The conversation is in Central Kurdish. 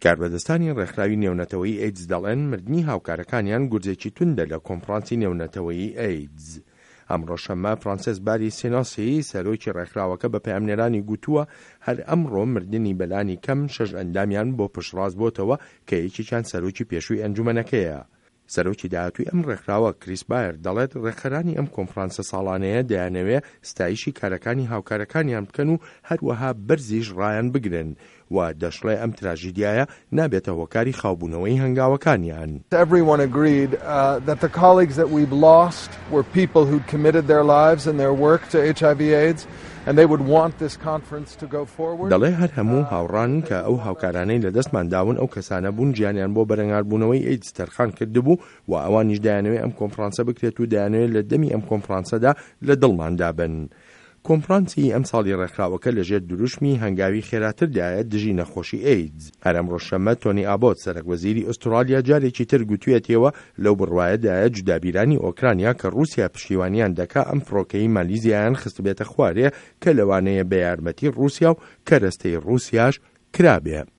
کاربەدەستانی ڕێکخراوی نێونەتەوەیی ئەیدز دەڵێن مردنی هاوکارەکانیان گورزێکی توندە لە کۆنفرانسی نێونەتەوەیی ئەیدز. ئەمڕۆ شەممە فرانسێس باری سینۆسی سەرۆکی ڕێکخراوەکە بە پەیامنێرانی گوتووە هەر ئەمڕۆ مردنی بەلانی کەم شەش ئەندامیان بۆ پشتڕاست بۆتەوە کە یەکێکیان سەرۆکی پێشووی ئەنجومەنەکەیە. سەرۆکی داهاتووی ئەم ڕێکخراوە، کریس بایەر، دەڵێت ڕێکخەرانی ئەم کۆنفرانسە ساڵانەیە دەیانەوێ ستایشی کارەکانی هاوکارەکانیان بکەن و هەروەها بەرزیش ڕایان بگرن و دەشڵێ ئەم تراژیدیایە نابێتە هۆکاری خاوبوونەوەی هەنگاوەکانیان. Everyone agreed that the colleagues that we've lost were people who'd committed their lives and their work to HIV AIDS and they would want this conference to go forward. دەڵێ هەر هەموو هاوڕان کە ئەو هاوکارانەی لەدەستمان داون ئەو کەسانە بوون گیانیان بۆ بەرەنگاربوونەوەی ئەیدز تەرخان کردبوو و ئەوانیش دەیانەوێ ئەم کۆنفرانسە بکرێت و دەیانەوێ لە دەمی ئەم کۆنفرانسەدا لە دڵماندا بن. کۆنفرانسی ئەمساڵی ڕێکخراوەکە لەژێر دروشمی هەنگاوی خێراتردایە دژی نەخۆشی ئەیدز. هەر ئەمڕۆ شەممە تۆنی ئابۆت سەرەک وەزیری ئوستڕالیا جارێکی تر گوتویەتیەوە لەو بڕوایەدایە جودابیرانی ئۆکرانیا کە ڕووسیا پشتیوانیان دەکا ئەم فڕۆکەی مالیزیایان خستبێتە خوارێ کە لەوانەیە بە یارمەتی ڕووسیا و کەرەستەی ڕووسیاش کرابێ.